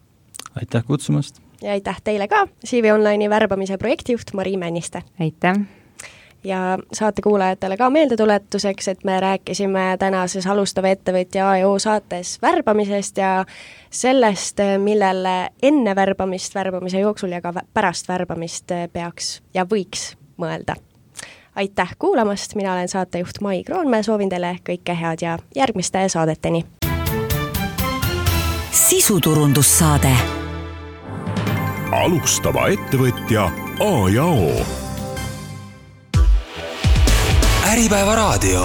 Aitäh kutsumast. Ja aitäh teile ka, CV Online'i värbamise projektijuht Mari Männiste. Aitäh. Ja saate kuulajatele ka meeldetuletuseks, et me rääkisime tänases alustava ettevõtja A&O saates värbamisest ja sellest, millele enne värbamist, värbamise jooksul ja ka pärast värbamist peaks ja võiks mõelda. Aitäh kuulamast, mina olen saatejuht Mai Kroonmäe, soovin teile kõike head ja järgmiste saadeteni. Sisuturundussaade. Alustava ettevõtja A&O. Äripäeva raadio.